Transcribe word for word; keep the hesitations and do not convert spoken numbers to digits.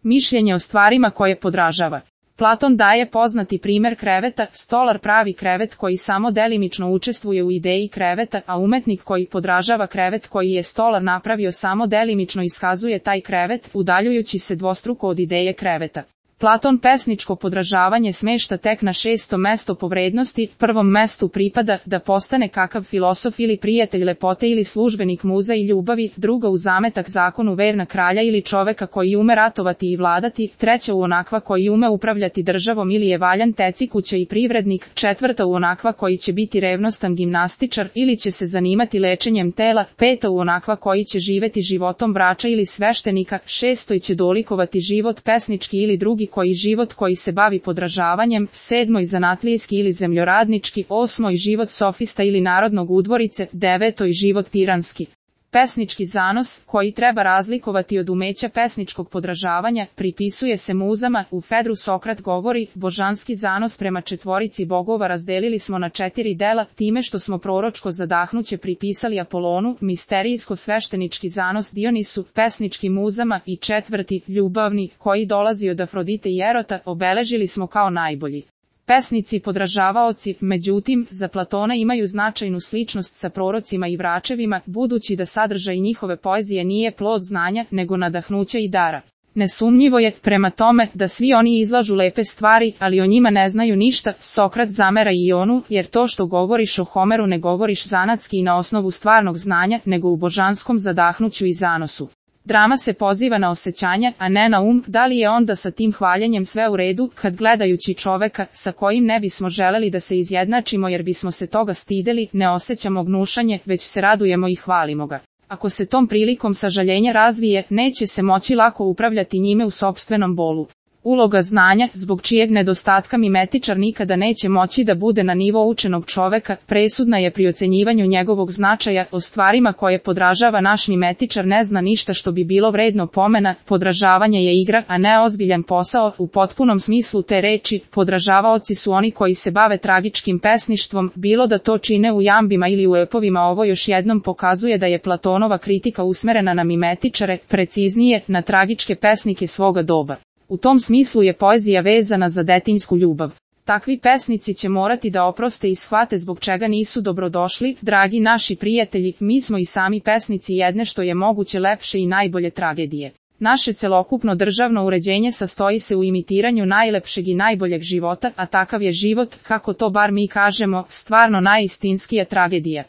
Mišljenje o stvarima koje podražava. Platon daje poznati primer kreveta, stolar pravi krevet koji samo delimično učestvuje u ideji kreveta, a umetnik koji podražava krevet koji je stolar napravio samo delimično iskazuje taj krevet, udaljujući se dvostruko od ideje kreveta. Platon pesničko podražavanje smešta tek na šesto mesto po vrednosti, prvom mestu pripada da postane kakav filosof ili prijatelj lepote ili službenik muza i ljubavi, druga u zametak zakonu verna kralja ili čoveka koji ume ratovati i vladati, treća u onakva koji ume upravljati državom ili je valjan tecikuća i privrednik, četvrta u onakva koji će biti revnostan gimnastičar ili će se zanimati lečenjem tela, peta u onakva koji će živeti životom vrača ili sveštenika, šestoj će dolikovati život pesnički ili drugi koji život koji se bavi podražavanjem, sedmoj zanatlijski ili zemljoradnički, osmoj život sofista ili narodnog udvorice, devetoj život tiranski. Pesnički zanos, koji treba razlikovati od umeća pesničkog podražavanja, pripisuje se muzama. U Fedru Sokrat govori, božanski zanos prema četvorici bogova razdelili smo na četiri dela, time što smo proročko zadahnuće pripisali Apolonu, misterijsko-sveštenički zanos Dionisu, pesnički muzama i četvrti, ljubavni, koji dolazi od Afrodite i Erota, obeležili smo kao najbolji. Pesnici podražavaoci, međutim, za Platona imaju značajnu sličnost sa prorocima i vračevima, budući da sadržaj njihove poezije nije plod znanja, nego nadahnuća i dara. Nesumnjivo je, prema tome, da svi oni izlažu lepe stvari, ali o njima ne znaju ništa. Sokrat zamera Ionu, jer to što govoriš o Homeru ne govoriš zanatski i na osnovu stvarnog znanja, nego u božanskom zadahnuću i zanosu. Drama se poziva na osjećanja, a ne na um. Da li je onda sa tim hvaljenjem sve u redu, kad gledajući čoveka, sa kojim ne bismo želeli da se izjednačimo jer bismo se toga stideli, ne osjećamo gnušanje, već se radujemo i hvalimo ga. Ako se tom prilikom sažaljenja razvije, neće se moći lako upravljati njime u sopstvenom bolu. Uloga znanja, zbog čijeg nedostatka mimetičar nikada neće moći da bude na nivo učenog čoveka, presudna je pri ocenjivanju njegovog značaja. O stvarima koje podražava naš mimetičar ne zna ništa što bi bilo vredno pomena. Podražavanje je igra, a ne ozbiljan posao. U potpunom smislu te reči, podražavaoci su oni koji se bave tragičkim pesništvom, bilo da to čine u jambima ili u epovima. Ovo još jednom pokazuje da je Platonova kritika usmerena na mimetičare, preciznije, na tragičke pesnike svoga doba. U tom smislu je poezija vezana za detinjsku ljubav. Takvi pesnici će morati da oproste i shvate zbog čega nisu dobrodošli. Dragi naši prijatelji, mi smo i sami pesnici jedne što je moguće lepše i najbolje tragedije. Naše celokupno državno uređenje sastoji se u imitiranju najlepšeg i najboljeg života, a takav je život, kako to bar mi kažemo, stvarno najistinskija tragedija.